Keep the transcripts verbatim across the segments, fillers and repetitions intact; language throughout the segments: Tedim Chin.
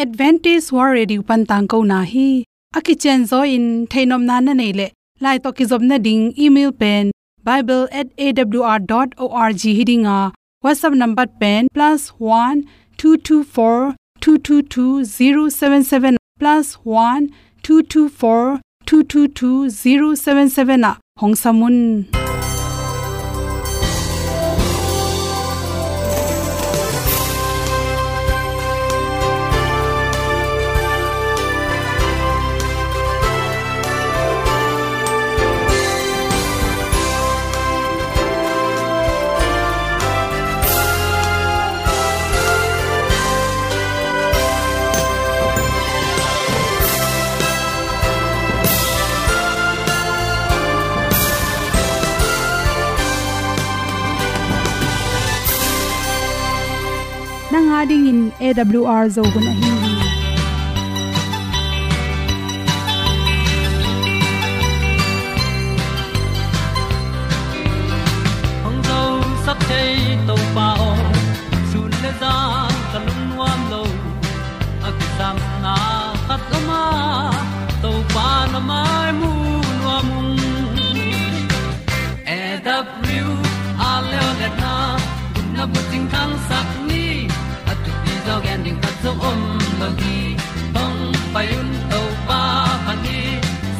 Adventist World Radio pan tangkona hi. A kicianzaw in theihnopna na neih leh, lai tawh kizopna ding email pen bible at A W R dot org hi ding a, WhatsApp number pen plus one two two four two two two zero seven seven, plus one two two four two two two zero seven seven ah hong sam un. Nang a dingin A W R Zo hun ahi hi. Hong zosak thei Topa aw, sun le zan ka lungnuam lo. A kisapna khat om a, Topa na mai mu nuam ung. A W R Leolehna, gupna bucing thangsak ni, a thupi zaw gen ding khat zong om lo hi. Hong pai un Topa phat ni,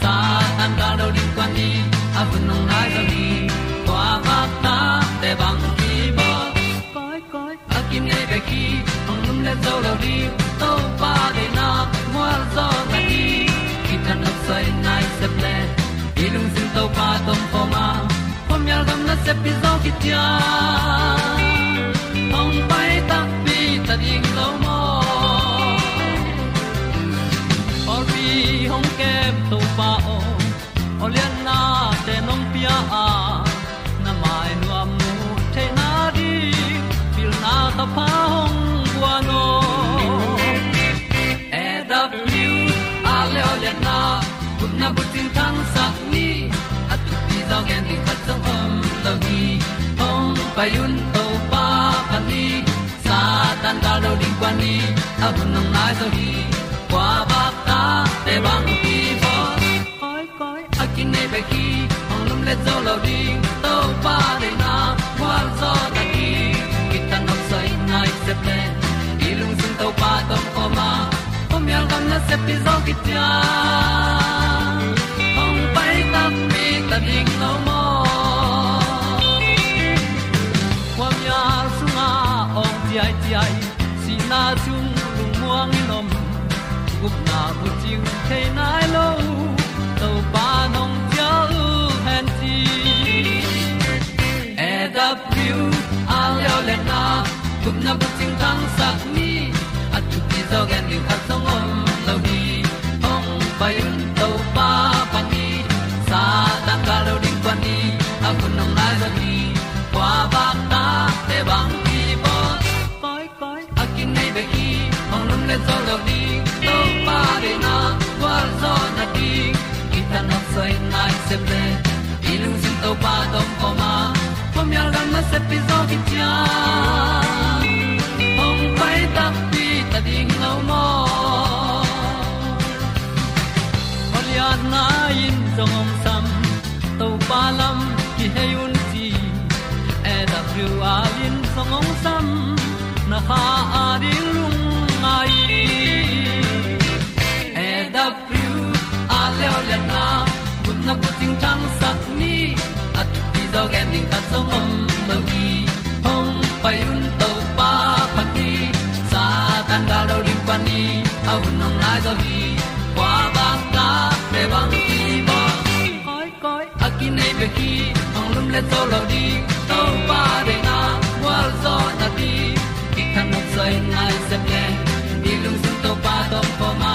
Satan gal do ding kuan ni, a hun hong nai zaw hi. Kua vakta te bang kibawl. Koi, koi, a kinei bek hi, hong lumlet zo lo ding, Topa deihna mual zaw na hi. Kithat nopsai nai sep le, i lungsim Topa tawh om khawm a, khuamial gam nasep pi zaw kician. Hong pai takpi ta ding lo maw? Pawlpi hong kem Topa aw, awlianna te nong pia a, na mai nuam mu theihna ding, pilna thapha hong guan aw. A W R Leolehna, gupna bucing thangsak ni, a thupi zaw gen ding khat zong om lo hi. Hong pai un Topa phat ni, Satan gal do ding kuan ni, a hun hong nai zaw hi. Kua vakta te bang kibawl. Koi, koi, a kinei bek hi, hong lumlet zo lo ding, Topa deihna mual zaw na hi. Kithat nopsai nai sep le, i lungsim Topa tawh om khawm a, khuamial gam nasep pi zaw kician. Hong pai takpi ta ding lo maw? Khuamial sungah awng ciaiciai, sihna sung lungmuang in om, gupna bucing thei nai lo, Topa nong cial hen ci. A W R Leolehna, gupna bucing thangsak ni, a thupi zaw gen ding khat zong om lo hi. Hong pai un Topa phat ni, Satan gal do ding kuan ni, a hun hong nai zaw hi. Kua vakta te bang kibawl. Koi, koi, a kinei bek hi, hong lumlet zo lo ding, Topa deihna mual zaw na ding. Kithat nopsai nai sep le, i lungsim Topa tawh om khawm a, khuamial gam nasep pi zaw kician. Hong pai takpi ta ding lo maw? Awlianna in zong hong sam, Topa lam kihei un ci. A W R in zong hong sam, na kha a ding lungngai. A W R Leolehna, gupna bucing thangsak ni, a thupi zaw gen ding khat zong om lo hi. Hong pai un Topa phat ni, Satan gal do ding kuan ni, a hun hong nai zaw hi. Kua vakta te bang kibawl. Koi, koi, a kinei bek hi, hong lumlet zo lo ding, Topa deihna mual zaw na ding. Kithat nopsai nai sep le, i lungsim Topa tawh om khawm a,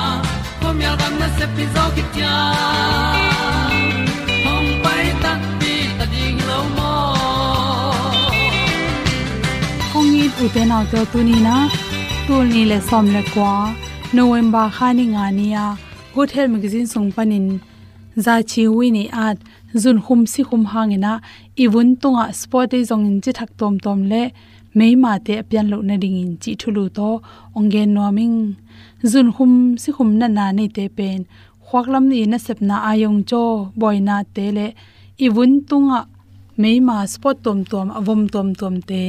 khuamial gam nasep pi zaw kician. Hong pai takpi ta ding lo maw? Kong it ute naute, tuni-in ah, tul nih le sawm le kua, November kha ni nga ni-a, Good Health Magazine sung panin, Za Chi Wi Nei At, zunkhum sikhum hangin ah, i vun tungah sport day zongin cithak tuamtuam le meimate a pian loh nadingin cih thulu tawh hong gen nuam ing. Zunkhum sikhum natna neite pen khuaklam i nasepna, aiawngcaw, buainate le i vun tungah meima spot tuamtuam, a vom tuamtuamte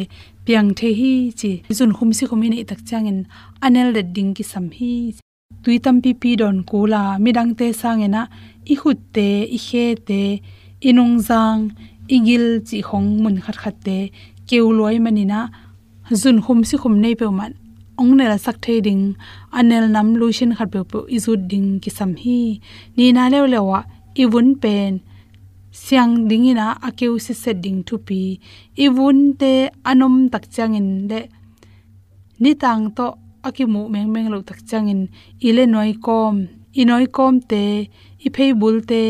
piang thei hi ci. Zunkhum sikhum i neih tak ciangin a nel det ding kisam hi. Tui tampipi dawn kul a, midangte sangin ah i khutte, i khete, i nungzang, i gil cih khong mun khatkhatte keu lua ahih manin ah, zunkhum sikhum nei peuhmah hong nelsak thei ding, a nel nam lotion khat peuhpeuh i zut ding kisam hi. Nihna leuleu ah i vun pen siang dingin ah a keu sitset ding thupi. I vunte a nom tak ciangin le nitang tawh a kimuh mengmeng loh tak ciangin i le nuaikawm, i nuaikawmte, i pheibulte,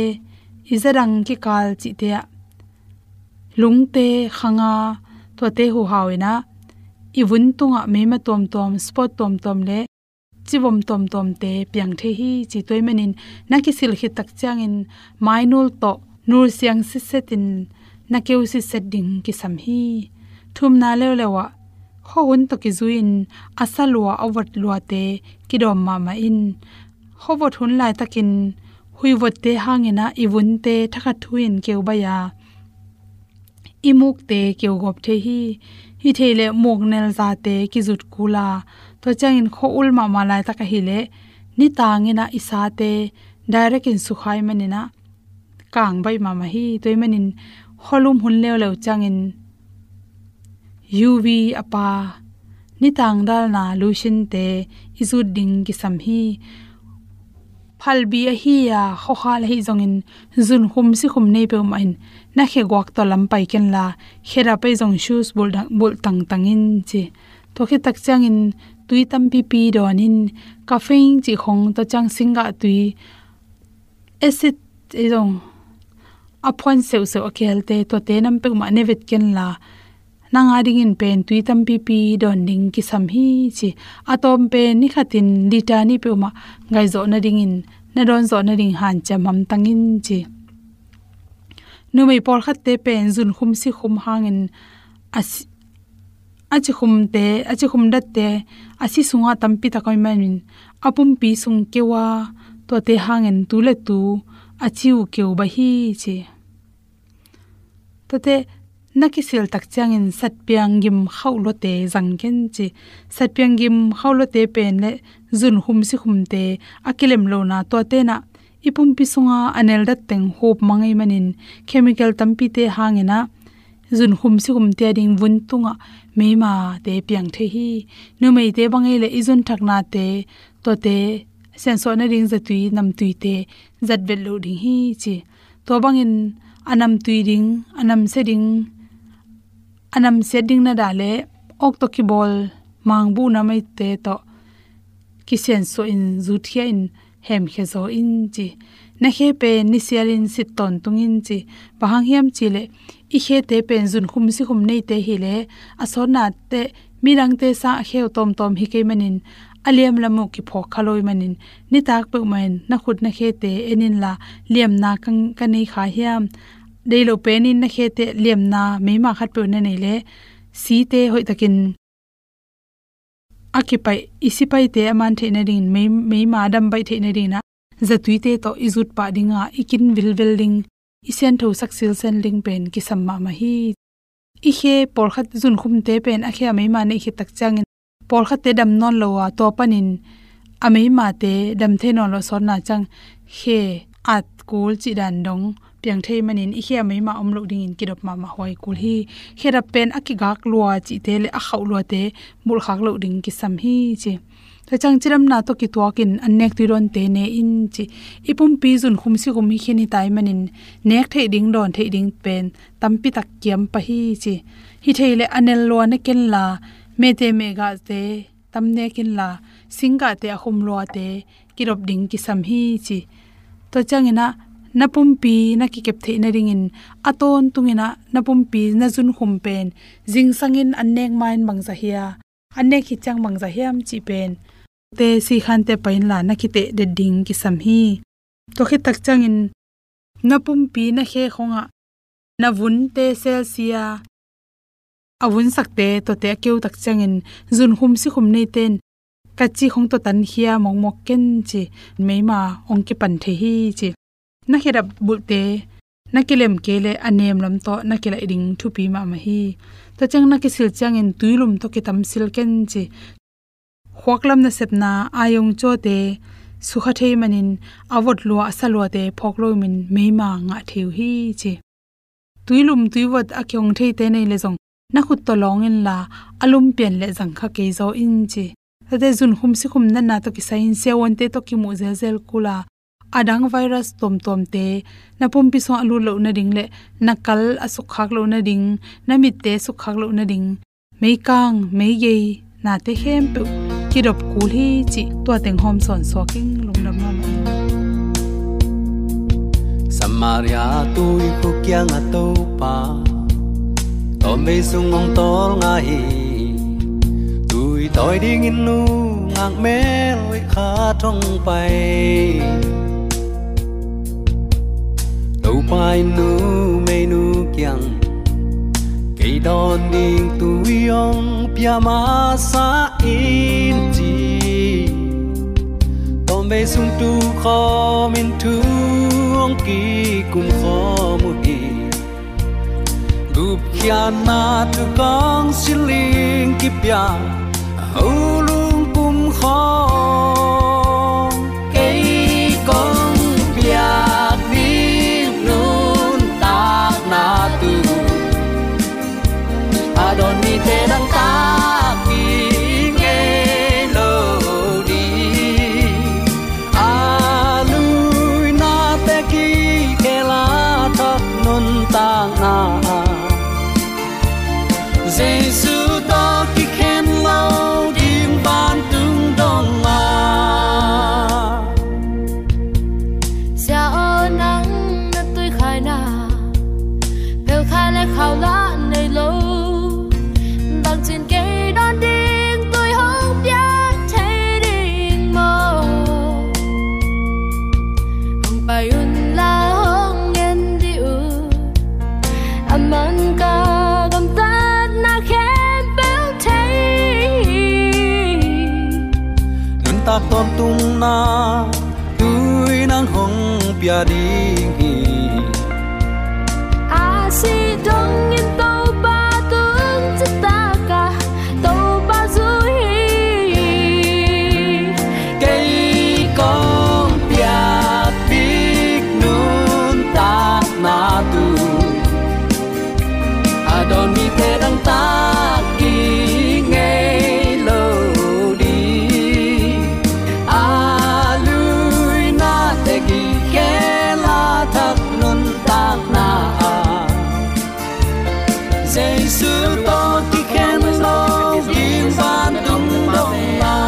i zadang kikal cihte ah lungte, khanga, tuate huhau in ah i vun tungah meima tuamtuam, spot tuamtuam le civom tuamtuamte piang thei hi ci. Tua ahih manin na kisil khit tak ciangin mainul tawh nul siang sitsetin na keu sitset ding kisam hi. Thumna leuleu ah khuahun tawh kizui-in a sa lua, a vot luate kidawm mahmah in. Khuavot hun laitakin huihvotte hangin ah i vunte thakhat thu-in keu baih a, i mukte keu gawp thei hi. Hih thei leh muk nel zate kizut kul a, tua ciangin khua-ul mahmah laitak ahih leh nitang in ah i sate direct in sukha ahih manin ah kang baih mahmah hi. Tua ahih manin khualum hun leuleu ciangin U V a pa, nitang dalna lotion-te i zut ding kisam hi. Phalbi ahi a, khuakhal ahi zongin zunkhum sikhum nei peuhmah in na khe guak tawh lam pai ken la, khe dap ahi zong shoes bulh dang, bulh tangtang in ci. Tua khit tak ciangin tui tampipi dawn in, caffeine cih khong, tua ciang singgah tui, acid ahi zong, a phuan seuhseuh a kelte, tuate nam peuhmah ne vet ken la, nang a dingin pen tui tampipi dawn ding kisam hi ci. A tawm pen ni khatin liter nih peuhmah ngaih zawh nadingin, na dawn zawh nading hanciam hamtang in ci. Numei pawlkhatte pen zunkhum sikhum hangin a si-, a cikhumte, a cikhum datte a si sungah tampi tak om ahih manin a pumpi sung keu a, tuate hangin tu le tu a ci uh keu baih hi ci. Tuate na kisil tak ciangin satpiang gim khauh luate zang ken ci. Satpiang gim khauh luate pen le zunkhum sikhumte a kilem lohna, tuate in ah i pumpi sunga a nel dat teng hup mang ahih manin chemical tampite hangin ah zunkhum sikhumte a ding vun tungah meimate piang thei hi. Numeite bang ahih leh i zunthaknate, tuate siansuah nading zatui, namtuite zat vet loh ding hi ci. Tua bangin a namtui ding, a namsia ding, a namsiat ding na dah leh awk tawh kibawl mangbuh nam ahihte tawh kisiansuah in, zutkhia in, hemkhia zaw in ci. Na khe pen ni sialin sit tawntung in ci. Bang hang hiam cih leh i khete pen zunkhum sikhum neite hi leh a sawtna teh midangte sang a khe uh tawmtawm hi kei manin a liamlam uh kiphawk kha lo ahih manin nitak peuhmah in na khut na khete en in la, liamna ka, ka nei kha hiam? Deih loh penin na khete liamna meima khat peuh na neih leh site hoihtakin a kipaih i sipaihte a man theih nadingin, mei, meima a dam baih theih nadingin ah zatuite tawh i zut pah ding a, i kin vilvel ding, i sianthosak silsen ding pen kisam mahmah hi. I khe pawlkhat zunkhumte pen a khe a meima neih khit tak ciangin pawlkhatte dam nawn lo a, tua panin a meimate dam thei nawn lo a sawtna ciang khe at kul cih dan dong piang thei manin i khe a meima om loh dingin kidop mahmah huai kul hi. Khe dap pen a kigak lua cihte le a khauh luate bulhkhak loh ding kisam hi ci. Tua ciang cidamna tawh kituakin an nek tui dawnte ne in ci. I pumpi zunkhum sikhum hi khin hi ta ahih manin nek theih ding, dawn theih ding pen tampi tak kiam pah hi ci. Hi thei leh a nel lua ne ken la, mete mehgahte tam nek in la, singgahte a khum luate kidop ding kisam hi ci. Tua ciangin ah na pumpi na kikep theih nadingin a tawntungin ah na pumpi na zunkhum pen zingsangin an nek ma-in bangzah hia, an nek khit ciang bangzah hiam cih pen te sikhante pai in la na kiteh det ding kisam hi. Tua khit tak ciangin na pumpi na khe khongah na vunte selsia, a vunsakte tuate a keu tak ciangin zunkhum sikhum neite in ka cik hong tuatan khia mawkmawk ken ci, meima hong kipan thei hi ci. Na khedap bulhte na kilem kei leh a nemlam tawh na kilaih ding thupi mahmah hi. Tua ciang na kisil ciangin tuilum tawh kitamsil ken ci. Khuaklam nasepna aiong cuate sukha thei manin a vot lua a sa luate phawk lomin meima ngah thei uh hi ci. Tuilum tuivot a kihong theite nei le zong na khut tawh lawng inla a lum pian le zang kha kei zaw in ci. Tate zunkhum sikhum natna tawh kisai in siavuante tawh kimuh zelzel kula a dang virus tuamtuamte na pumpi sungah a lut loh nading le na kal a sukkhak loh nading, na mitte sukkhak loh nading, meikang meigei nate khempeuh kidop kul hi cih tua teng hawm sawn suak ing. Lungdam mahmah ing. Samaria tuikhuk kiangah Topa tawmvei sung hong tawlnga hi. Tui tawi dingin nungak mel hoih khat hong pai. Topa in numeinu kiang kei dawn ding tui hong pia masa in ci. Tawmvei sung tukhawmin thu hong kikum khawm uh hi. Gupkhiatna thukawng siling kipia a ho lungpum khawng kei kong piak ding nuntakna tu a dawn mite dangtak ding ngei lo ding. A luina te kikhel a thak nuntakna Jesu tawh kikhen lo ding vantung dong a. Sia aw, nang na tuikhaina phelkhai le khau lah nei lo. Bangcin kei dawn ding tui hong pia thei ding maw? Hong pai un la hong ngen dih uh. A man ka gamtatna khempeuh thei. Nuntak tawntungna tui nang hong pia ding hi. A sih dongin Topa tung citak a Topa zui hi. Kei kong piak ding nuntakna tu a dawn mite dangtak ding ngei lo ding. A luina te kikhel a thak nuntakna ah Jesu tawh kikhen lo ding vantung dong a.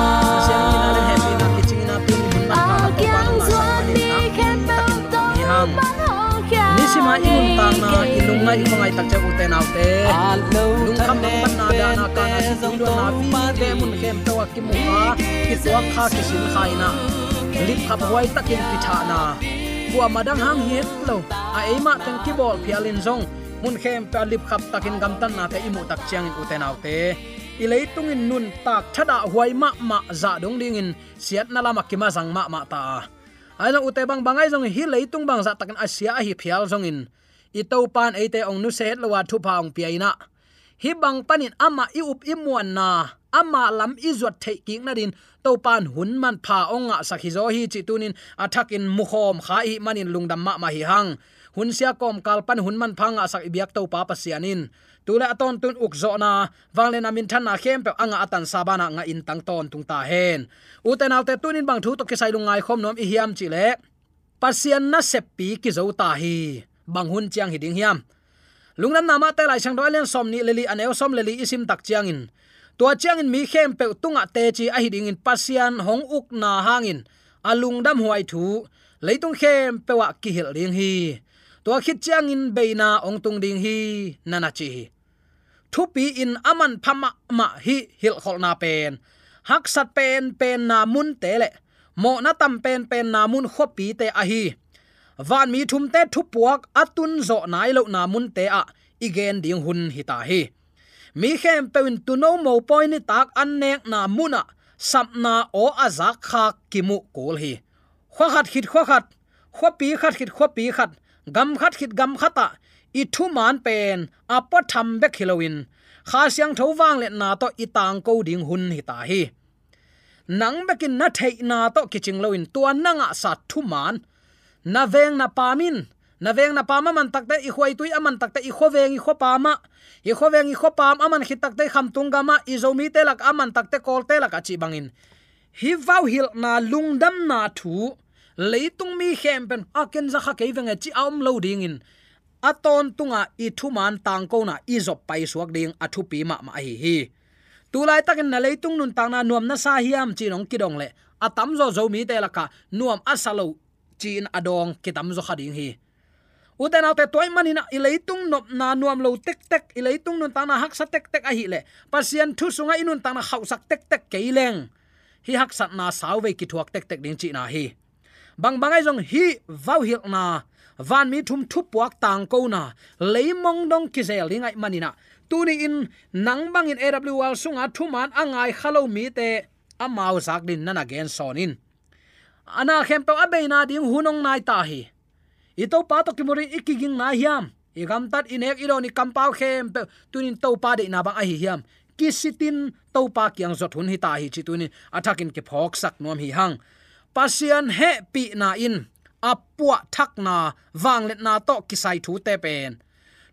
A kiang zuan mi khempeuh tawh pan hong khia. Nisima i nuntakna, i lungngaih, i khuangaih tak ciang ute naute, lungkham lungkhamna, dahna, kana, situi duanna, vite mun khempeuh a kimu kha, kituak kha, kisin kha in ah, lipkhap huai takin kithahna, kuamah dang hang hi het lo a, eimah teng kibawl phial in zong mun khempeuh a lipkhap takin gamtatnate i muh tak ciangin ute naute, i leitung in nuntak thadah huai mahmah zah dong dingin siatna lamah kimazang mahmah ta a. Ahi zong ute, bangbang ahi zong hih leitung bang zahtakin a sia ahi phial zongin i Topa in eite hong nusia het lo a thupha hong pia in ah, hih bang panin amah i up i muanna, amah lam i zuat theih kik nadin Topa in hun manpha hong ngahsak hi zaw hi cih tunin a thakin mukhawm kha i hih manin lungdam mahmah hi hang. Hun sia kawmkal pan hun manpha ngahsak i biak Topa Pasian in tu le a tawntun ukzawhna, vangliatna, minthanna khempeuh a ngah a tansa banah ngah in tang tawntung ta hen. Ute naute, tunin bang thu tawh kisai lungngai khawm nuam i hiam cih leh, Pasian naseppi kizo ta hi. Bang hun ciang hi ding hiam? Lungdamna Mate Laisiangtho a lian sawmnih le li, a neu sawm le li i sim tak ciangin, tua ciangin mi khempeuh tungah teci ahi dingin Pasian hong ukna hangin a lungdamhuai thu leitung khempeuh ah kihilh ding hi. Tua khit ciangin beina hong tung ding hi, na na ci hi. Thupi in a manpha mahmah hih hilhkholhna pen haksat penpenna munte le mawhna tam penpenna mun khuapite ahi vanmi thumte thupuak a tunzawh nai lohna munte ah i gen ding hun hi ta hi. Mi khempeuh in tuuno mopawi nitak an nekna munah sapna aw a zakkhak kimuh kul hi. Khua khat khit khua khat, khuapi khat khit khuapi khat, gam khat khit gam khatah i thuman pen a puatham bek hi loin, Kha Siangtho vangliatna tawh i tangko ding hun hi ta hi. Nang bekin na theihna tawh kicing loin tua na ngahsa thuman, na veng na pam in, na veng na pam a man takte, i khuaitui a man takte, i khuaveng i khuapam ah, i khuaveng i khuapam a man khit takte, i khamtung gamah, i Zomite lak a man takte, Kawlte lakah cih bangin, hih vauhilhna lungdamna thu leitung mi khempeuh a ken za kha kei venge ci a om lo dingin, a tawntunga i thuman tangkona i zop paisuak ding a thupi mahmah ahi hi. Tulaitakin na leitung nuntakna nuam na sa hiam ci-in hong kidong leh, a tamzaw Zomite lakah nuam a sa lo ci-in a dawng kitamzaw kha ding hi. Ute naute, tua ahih manin ah i leitung nopna nuam lo tektek, i leitung nuntakna haksa tektek ahih leh, Pasian thu sungah i nuntakna khauhsak tektek kei leng, hih haksatna sauvei kithuak tektek ding cihna hi. Bangbang ahi zong hih vauhilhna, vanmi thum thupuak tangkona leimong dong kizel ding ahih manin ah, tuni-in nang bangin A W R sunga thuman a ngai kha lo mite amau zak dingin na na gensawn in. A na khempeuh a beina ding hun hong nai ta hi. I Topa tawh kimu dingin i kiging nai hiam? I gamtat, i nek, i dawn, i kampau khempeuh tuni-in Topa deihna bang ahi hiam? Kisitin Topa kiang zot hun hi ta hi cih tuni-in a thakin kiphawksak nuam hi hang. Pasian hehpihna in a puahthakna, vangliatna tawh kisai thute pen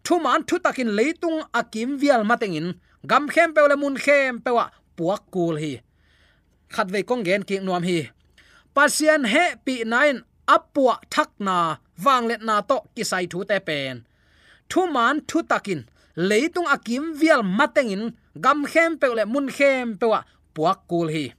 thuman thutakin leitung a kimvial matengin gam khempeuh le mun khempeuh ah puak kul hi. Khatvei kong gen kik nuam hi. Pasian hehpihna in a puahthakna, vangliatna tawh kisai thute pen thuman thutakin leitung a kimvial matengin gam khempeuh le mun khempeuh ah puak kul hi.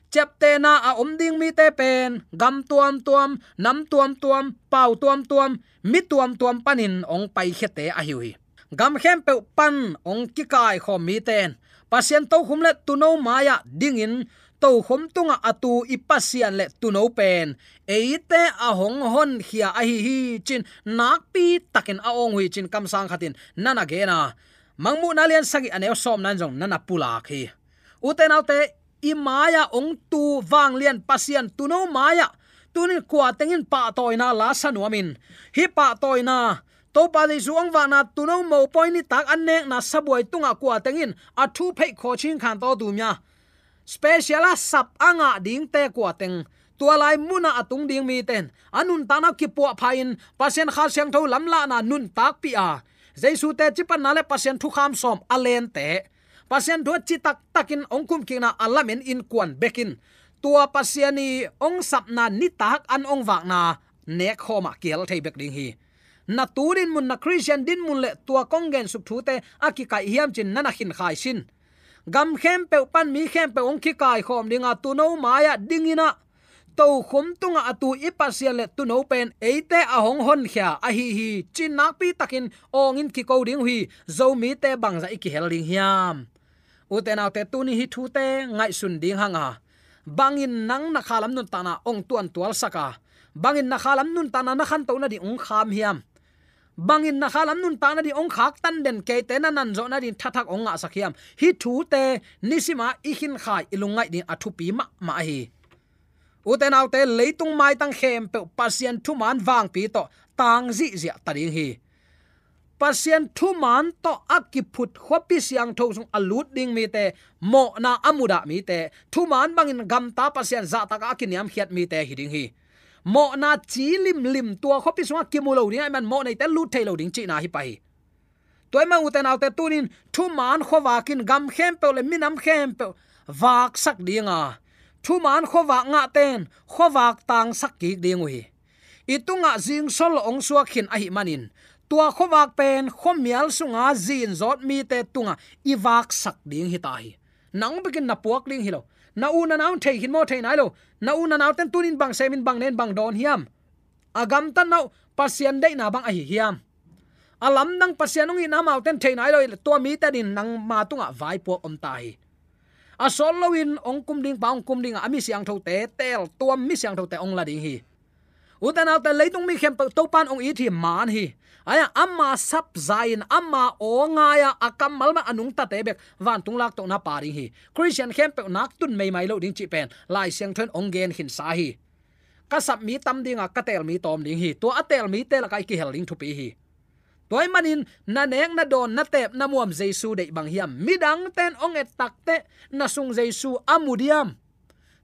Ciaptehna a om ding mite pen gam tuamtuam, nam tuamtuam, pau tuamtuam, mi tuamtuam panin hong paikhiate ahi uh hi. Gam khempeuh pan hong kikaikhawm mite in Pasian tokhom le tuuno mai-ah dingin, tokhom tungah a tu i Pasian le tuuno pen eite a hong honkhia ahi hi ci-in nakpi takin a awng uh hi ci-in kamsang khatin na na gen a, Mangmuhna lian sagih a neu sawmna in zong na na pulak hi. Ute naute, i mai-ah hong tu vanglian Pasian tuuno mai-ah tuni-in kua teng in pahtawina la sa nuam in, hih pahtawina, Topa Jesu hong vakna, tuuno mopawi nitak an nekna sabuai tungah kua teng in a thu pheih khawcing khan tawtu mia special a sap a ngah dingte kua teng, tua lai munah a tung ding mite in a nuntakna kipuahpha in Pasian Kha Siangtho lamlahna nuntakpih a, Jesu teci panna le Pasian thukham sawm a lente, Pasian thu a citak takin hong kumkikna a lamen innkuan bekin, tua Pasian i hong sapna nitak an hong vakna nekkhawmah kihel thei bek ding hi. Na tu dinmun, na Khristian dinmun le tua kong gensuk thute a kikaih hiam ci-in na na khinkhai sin. Gam khempeuh pan mi khempeuh hong kikaikhawm dinga tuuno mai-ah dingin ah, tokhom tungah a tu i Pasian le tuuno pen eite a hong honkhia ahi hi ci-in nakpi takin awngin kiko ding uh hi. Zomite bangzah i kihel ding hiam? Ute naute, tuni hih thute ngaihsun ding hang a, bangin nang na khalam nuntakna hong tuantualsak a, bangin na khalam nuntakna na khantoh nading hong kham hiam? Bangin na khalam nuntak nading hong khaktan den keite na nanzawh nading thathak hong ngahsak hiam? Hih thute nisima i khinkhai, i lungngaih ding a thupi mahmah ahi. Ute naute, leitung maitang khempeuh Pasian thuman vangpi tawh tang zihziah ta ding hi. Pasian thuman tawh a kiphut khuapi siangtho sung a lut ding mite, mawhna a mudah mite, thuman bangin gamta Pasian zahtakah a kiniamkhiat mite hi ding hi. Mawhna ci limlim, tua khuapi sungah kimu lo ding ahih man mawh neite lut thei lo ding cihna hi pah hi. Tua ahih man ute naute, tunin thuman khuavak in gam khempeuh le minam khempeuh vaksak ding a, thuman khuavak ngahte in khuavak tangsak kik ding uh hi. I tungah zingsol hong suak khin ahih manin, tua khuavak pen khuamial sunga zinzawt mite tungah i vaksak ding hi ta hi. Nang bekin na puak ding hi lo. Na u na nau in thei khin maw? Thei nai lo. Na u na naute in tunin bang semin, bang nen, bang dawn hiam? A gamtatna uh Pasian deihna bang ahi hiam? A lamdang Pasian hong itna amaute in thei nai lo, tua mite adingin nangma tungah vaipuak om ta hi. A sawt loin hong kum ding pa hong kum ding a, a mi siangthote teel tuam, mi siangthote hong la ding hi. Ute naute, leitung mi khempeuh Topan ong it hi, man hi. Aia, ama sap za-in, ama aw ngai-a, a kammal mah a nungtate bek vantung laktohna pia ding hi. Khristian khempeuh nak tun meimai lo ding cih pen Lai Siangtho in ong gen khinsa hi. Ka sap mi tam ding a, ka teel mi tawm ding hi. Tua a teel mite lakah i kihel ding thupi hi. Tua ahih manin na nek, na dawn, na teep, na muam Jesu deih bang hiam? Midangte in ong et takteh na sung Jesu a mu diam?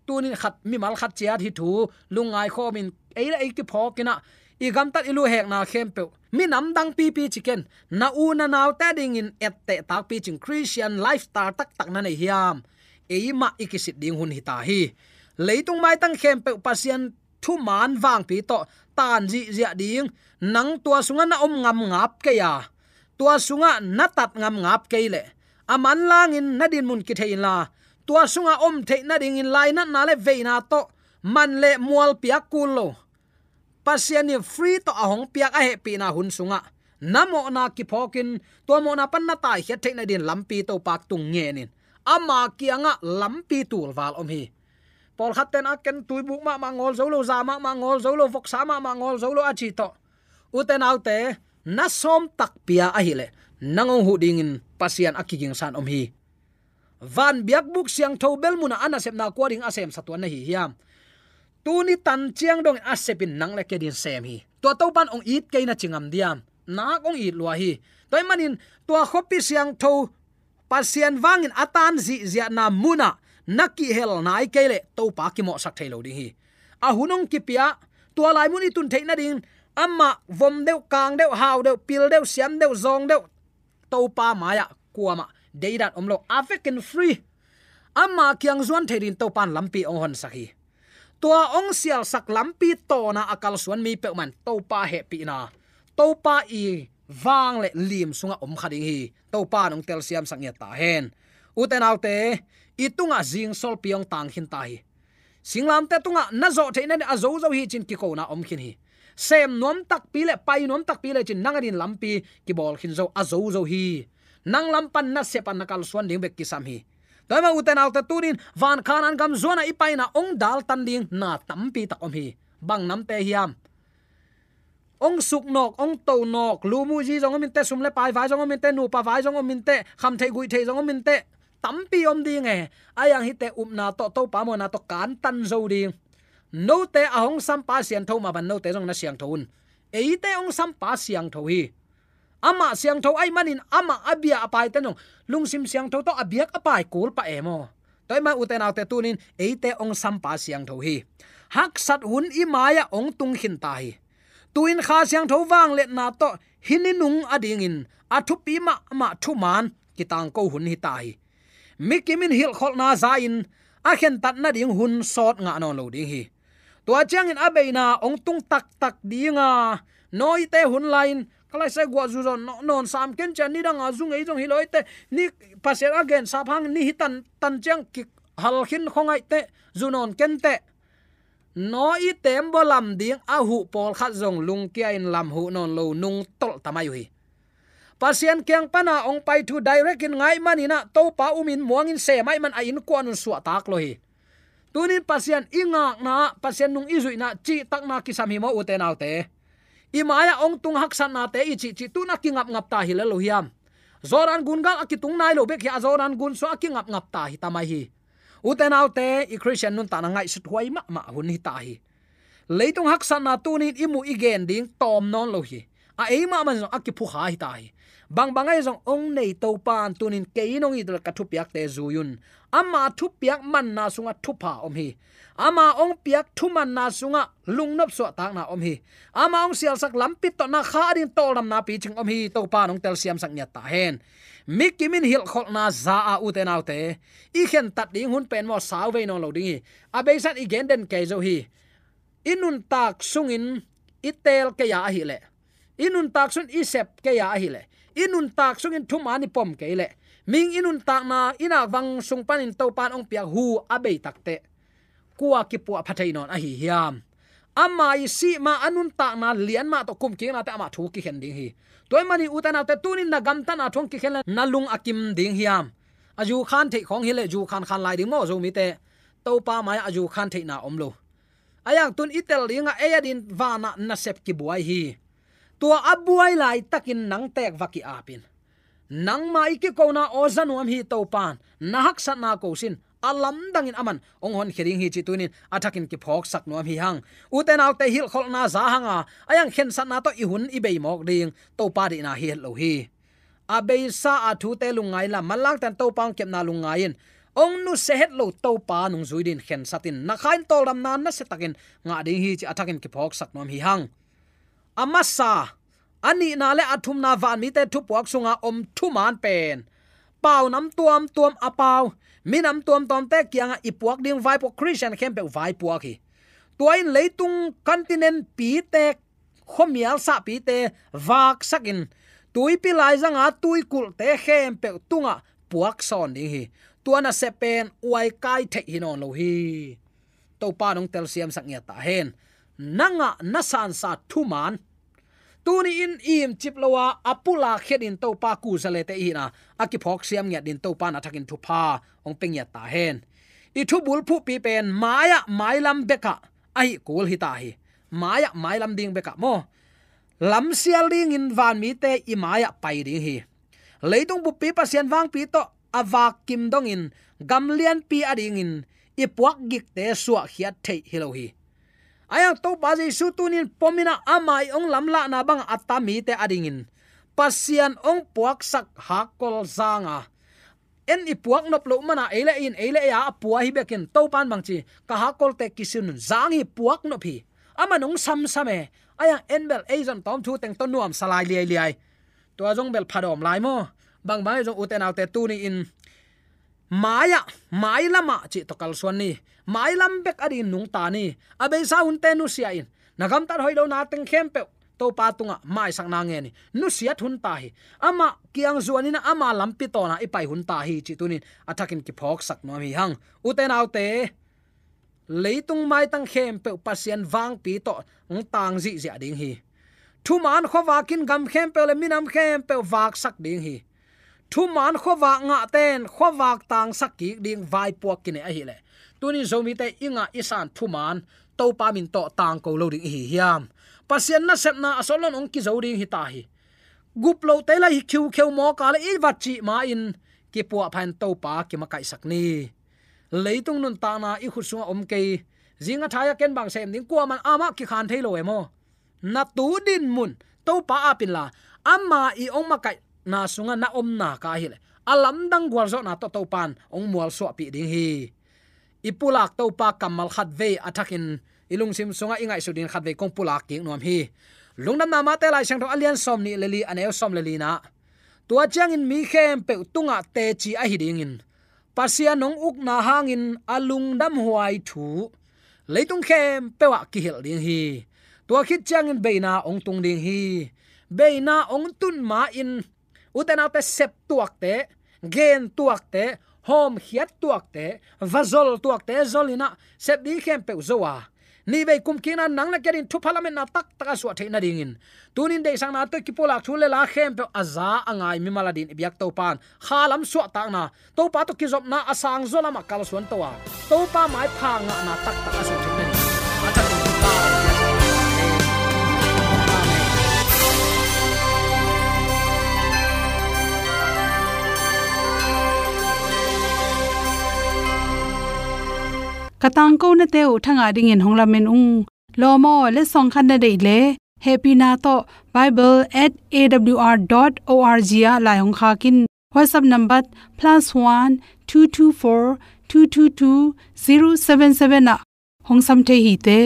Tunin khat, mimal khat ciat hih thu lungngai khawmin ei le ei kiphawkin ah, i gamtat i luhekna khempeuh minam dang pipi ci ken, na u na naute dingin etteh takpi cin Christian lifestyle taktak na nei hiam? Eimah i kisit ding hun hi ta hi. Leitung maitang khempeuh Pasian thuman vangpi tawh tan zihziah ding. Nang tua sungah na om ngam ngap kei a, tua sungah na tat ngam ngap kei leh, a manlangin na dinmun kithei inla, tua sungah om theih nadingin lainatna le veina tawh man le mual piak kul lo, Pasian in free tawh a hong piak a hehpihna hun sungah na mawhna kiphawkin, tua mawhna pan na taikhiat theih nadingin lampi Topa tung ngenin, ama kiangah lampi tulval om hi. Pawlkhatte in a ken tuibuk mahmah ngawl zo lo, za mahmah ngawl zo lo, voksa mahmah ngawl zo lo a ci tawh, ute naute, na sawm takpi a ahih leh nang ong huh dingin Pasian a kigingsa-in om hi. Van biakbuk siangtho bel munah a nasepna kua ding a semsa tuan na hi hiam? Tuni tan ciang dongin a sepin nang le kei dingin sem hi. Tua Topan ong it kei na ci ngam diam? Nak ong it lua hi. Tua ahih manin tua khuapi siangtho, Pasian vangin a tan zihziahna munah na kihel nai kei leh Topa kimawhsak thei lo ding hi. A hun ong kipia, tua lai mun i tun theih nadingin amah vom deuh, kang deuh, hau deuh, pil deuh, siam deuh, zawng deuh, Topa mai-ah kuamah deidan om lo, a vekin free. Ama kiang zuan thei dingin Topan lampi ong honsak hi. Tua ong sialsak lampi tawna a kalsuan mi peuhmah in Topa hehpihna, Topa i vang le lim sungah om kha ding hi. Topa in ong telsiamsak ngiat ta hen. Ute naute, i tungah zingsolpi ong tang khin ta hi. Singlamteh tungah na zawh theih nadingin a zozo hi cin kikona om khin hi. Sem nuam takpi le pai nuam takpi le cin nang adingin lampi kibawl khin zo, a zozo hi. Nang lam pan na sep a na kalsuan ding bek kisam hi. Tua ahih manin ute naute, tunin van Khanaan gam zuanah i paina ong daltan ding na tampi tak om hi. Bang namte hiam? Ong suknawk, ong tonawk, lu mu zi zong om inteh, sum le pai vai zong om inteh, nupa vai zong om inteh, khamtheih guihtheih zong om inteh, tampi om ding e. Ahi zongin hihte upna tawh, Topa muanna tawh kantan zo ding. Note a hong sampa siangtho mah bangin note zong na siangtho un. Eite hong sampa siangtho hi. Amah siangtho ahih manin amah a bia a paite zong lungsim siangtho tawh a biak a pai kul pah e maw. Tua ahih manin ute naute, tunin eite hong sampa siangtho hi. Haksat hun i mai-ah hong tung khin ta hi. Tu-in Kha Siangtho vangliatna tawh hih ni nung adingin a thupi mahmah thuman kitangko hun hi ta hi. Mi kim in hilhkholhna za-in a khentat nading hun sawt ngah nawn lo ding hi. Tua ciangin a beina hong tung taktak ding a, nawite hun lai-in ka laisai guah zu zaw nawn sam ken cia, nidang a zu ngei zong hi lo inteh, ni Pasian a gensap hangin ni hi tan, tan ciang kihal khin khong inteh, zu nawn ken teh. Nawi tembaw lam ding a huh pawlkhat zong lungkia-in lam huh nawn lo nungtolh ta mai uh hi. Pasian kiang pana hong pai thu direct in ngah ahih manin ah, Topa umin muangin sem ahih man a innkuan un suahtak lo hi. Tunin Pasian i ngakna ah, Pasian nung i zuihna ah cihtakna kisam hi maw ute naute. I mai-ah hong tung haksatnate i cihcih tu-in a kingapngap ta hi lel lo hiam? Jordan gun gal a kitung nai lo bek hi a, Jordan gun sungah a kingapngap ta hi ta mai hi. Ute naute, i Khristian nuntakna ngaihsut huai mahmah hun hi ta hi. Leitung haksatna tunin i muh i gen ding tawm nawn lo hi. A, eimah mah zong a kiphukha hi ta hi. Bangbang ahi zong hong nei Topa in tunin kei in hong it leh ka thupiakte zui un. Ama thupiak manna sungah thupha om hi. Ama hong piak thumanna sungah lungnop suahtakna om hi. Ama hong sialsak lampi tawh na kha ding tawldamna picing om hi. Topa in hong telsiamsak ngiat ta hen. Mi kim in hilhkholhna za-a ute naute, i khentat ding hun pen maw, sauvei nawn lo ding hi. A beisa-in i gen den kei zo hi. I nuntak sungin i teel kei a ahih leh, i nuntak sungin i sep kei a ahih leh, i nuntak sungin thuman i pom kei leh, mihing i nuntakna i nakvang sung panin Topa in hong piak hu a bei takteh, kua kipuahpha thei nawn ahi hiam? Ama i sih ma, a nuntakna lian mah tawh kumkiknate amah thu kikhen ding hi. Tua ahih manin ute naute, tunin na gamtatna thu hong kikhen leh na lung a kim ding hiam? A zu khan theih khawng hi leh zu khan khan lai ding maw Zomite. Topa mai-ah a zu khan theihna om lo. A iangtun i tel dingah ei a din vanah nasep kibuai hi. Tua a buai laitakin nang teek va ki-apin, nangma i kikona aw za nuam hi Topan, na haksatna ko sin, a lamdangin aman hong honkhia ding hi cih tunin a thakin kiphawksak nuam hi hang. Ute naute, hilhkholhna za hanga a iang khensatna tawh i hun i bei mawk ding Topa deihna hi het lo hi. A beisa a thute lungngai inla, manlangten Topa hong kepna lungngai in, hong nusia het lo Topa nungzui din khensatin, na kha in tawldamna nasiatakin ngah ding hi cih a thakin kiphawksak nuam hi hang. A masa, a nihna le a thumna vanmite thupuak sunga om thuman pen, paunam tuamtuam a pau, minam tuamtuamte kiangah i puak ding vaipuak, Khristian khempeuh vaipuak hi. Tua in leitung continent pite, khuamial sahpite vaksakin, tuipi laizanga tuikulhte khempeuh tungah puak sawn ding hi. Tua nasep pen uaikai theih hi nawn lo hi. Topa in hong telsiamsak ngiat ta hen. Na ngah na sansa thuman, tuni in imcip lo a, a pulak khiat in Topa kuzalete i hihna a kiphawk siam ngiat din Topa in a thakin thupha hong pia ngiat ta hen. I thubulphuhpi pen mai-ah mailam bekah ahi kul hi ta hi. Mai-ah mailam ding bekah maw, lamsial dingin vanmite i mai-ah pai ding hi. Leitung buppi Pasian vangpi tawh a vak kim dongin gam lianpi a dingin i puak gikte suahkhiat theih hi lo hi. A iang Topa Jesu tunin pominah ama i hong lamlahna bangah a ta mite a dingin Pasian hong puaksak hakkol zanga, en i puak nop loh mana ei le in, ei le ei a pua hi bekin, Topan bangci, ka hakkolte kisin un, zang hi, puak nop hi. Aman hong samsam e. A iang en bel ei zon tawm thu teng tawh nuamsa lai liailiai. Tua zong bel phadawm lai maw? Bangbang ei zong ute naute tuni in mai-ah, mailamah cih tawh kalsuan ni. Mailam bek a dingin nungta ni. A beisa hunte nusia in, na gamtat hoih lo na teng khempeuh Topa tungah maisakna ngen hi. Nusiat hun ta hi. Amah kiang zuanin ama lampi tawna i pai hun ta hi cih tunin a thakin kiphawksak nuam hi hang. Ute naute, leitung maitang khempeuh Pasian vangpi tawh hong tang zihziah ding hi. Thuman khuavak in gam khempeuh le minam khempeuh vaksak ding hi. Thuman khuavak ngahte in khuavak tangsak kik ding vaipuak kinei ahileh, tunin Zomite i ngah i san thuman Topa min tawh tangko lo ding i hi hiam? Pasian nasepna a sawt lo-in hong kizo ding hi ta hi. Gup lote la hi khiukheu mawk a le i va cih ma-in kipuahpha in Topa kimakaihsak ni. Leitung nuntakna i khut sungah om kei, zing a thai a ken bang sem ding, kuaman amah kikhan thei lo e maw? Na tu dinmun Topa ap inla, ama i hong makaihna sungah na omna ka ahileh, a lamdang gualzawhna tawh Topan hong mualsuahpih ding hi. I pulak Topa kammal khatvei a thakin i lungsim sungah i ngaihsut dingin khatvei kong pulak kik nuam hi. Lungdamna Mate Lai Siangtho a lian sawmnih le li, a neu sawm le lina, tua ciangin mi khempeuh tungah teci ahi dingin, Pasian hong ukna hangin a lungdamhuai thu leitung khempeuh ah kihilh ding hi. Tua khit ciangin beina hong tung ding hi. Beina hong tun ma-in ute naute, sep tuakte, gen tuakte, hawmkhiat tuakte, va zol tuakte zol inah sep ding khempeuh zo a, nihvei kumkikna nang le kei adingin thupha lametna taktak a suah theih nadingin, tunin deihsakna tawh kipulak thu le la khempeuh a za a ngai mimal adingin i biak Topan kha lam suahtakna, Topa tawh kizopna a sangzaw lamah kalsuan to a, Topa maipha ngahna taktak a suah theih nadingin a thakin thupha. Amen. Ka tangkonate uh thangah dingin hong lamen ung. Lawm aw, letsong khat na deih leh hehpihna tawh bible at A W R dot O R G ah lai hong khak in. WhatsApp number plus one two two four two two two zero seven seven ah hong sam thei hi te.